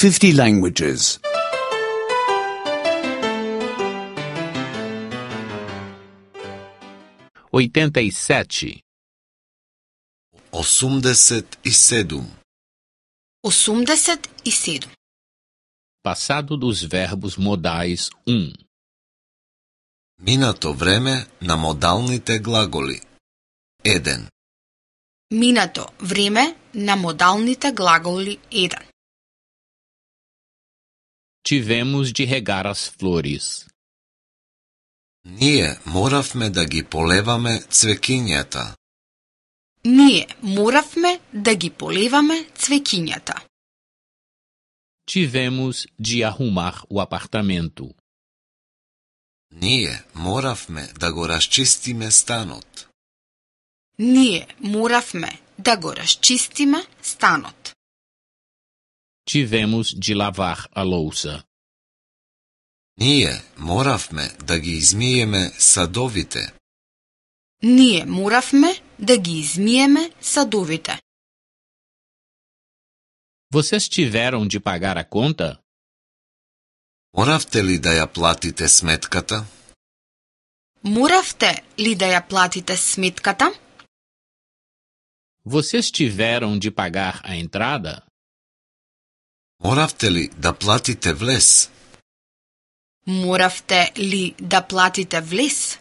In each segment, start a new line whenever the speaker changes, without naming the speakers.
50 languages.
87.
87.
87.
Passado dos verbos modais 1.
Минато време на модалните глаголи. 1.
Минато време на модалните глаголи 1.
Tivemos de regar as flores.
Ние моравме да ги полеваме цвекињата.
Ние моравме да ги полеваме цвекињата.
Tivemos de arrumar o apartamento.
Ние моравме да го расчистиме станот.
Ние моравме да го расчистиме станот.
Tivemos de lavar a louça.
Ние моравме да ги измиеме садовите.
Ние моравме да ги измиеме садовите.
Vocês tiveram de pagar a conta?
Моравте ли да ја платите сметката?
Моравте ли да ја платите сметката?
Vocês tiveram de pagar a entrada?
Моравте ли да платите влез?
Моравте ли да платите влез?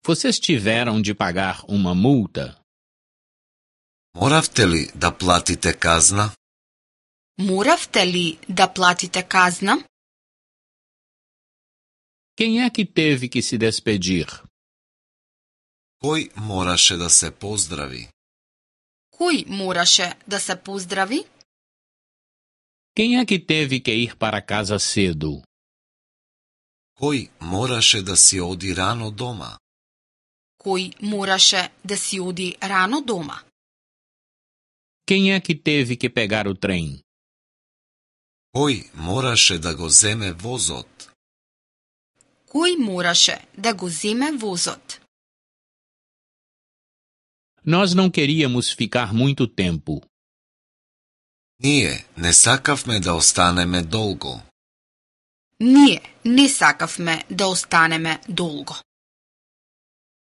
Vocês tiveram de pagar uma multa?
Моравте ли да платите казна?
Моравте ли да платите казна?
Quem é que teve que se despedir?
Кој мораше да се поздрави?
Кој мораше да се поздрави?
Quem é que teve que ir para casa cedo?
Кој мораше да си оди рано дома?
Кој мораше да си оди рано дома?
Quem é que teve que pegar o trem?
Кој мораше да го земе возот?
Кој мораше да го земе возот?
Nós não queríamos ficar muito tempo.
Ние не сакавме да останеме долго.
Ние не сакавме да останеме долго.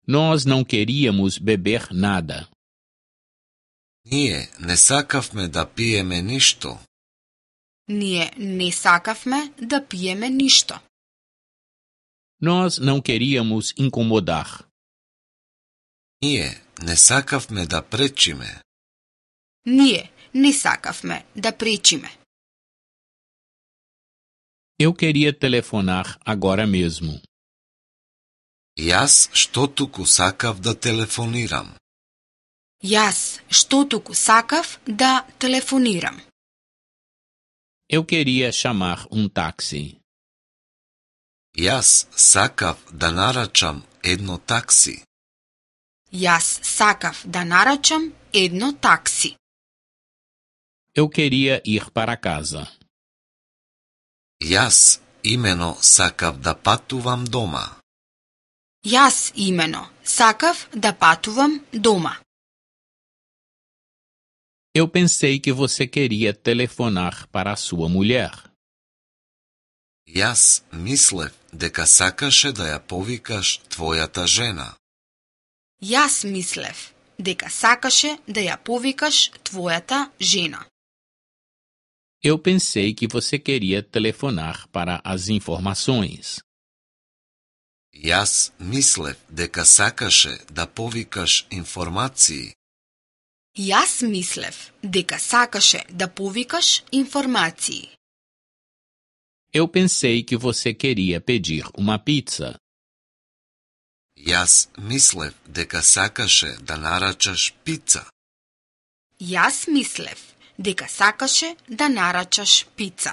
Nós não queríamos beber nada.
Ние не сакавме да пиеме ништо.
Ние не сакавме да пиеме ништо.
Nós não queríamos incomodar.
Ние не сакавме да пречиме.
Ние не сакавме да пречиме.
Eu queria telefonar agora mesmo.
Јас што туку сакав да телефонирам.
Јас што туку сакав да телефонирам.
Eu queria chamar táxi.
Јас сакав да нарачам едно такси.
Јас сакав да нарачам едно такси.
Eu queria ir para casa.
Јас имено сакав да патувам дома.
Јас имено сакав да патувам дома.
Eu pensei que você queria telefonar para a sua mulher.
Јас мислев дека сакаше да ја повикаш твојата жена.
Јас мислев дека сакаше да ја повикаш твојата жена.
Eu pensei que você queria telefonar para as informações.
Јас мислев дека сакаше да повикаш информации.
Јас мислев дека сакаше да повикаш информации.
Eu pensei que você queria pedir uma pizza.
Јас мислев дека сакаше да нарачаш пица.
Јас мислев дека сакаше да нарачаш пица.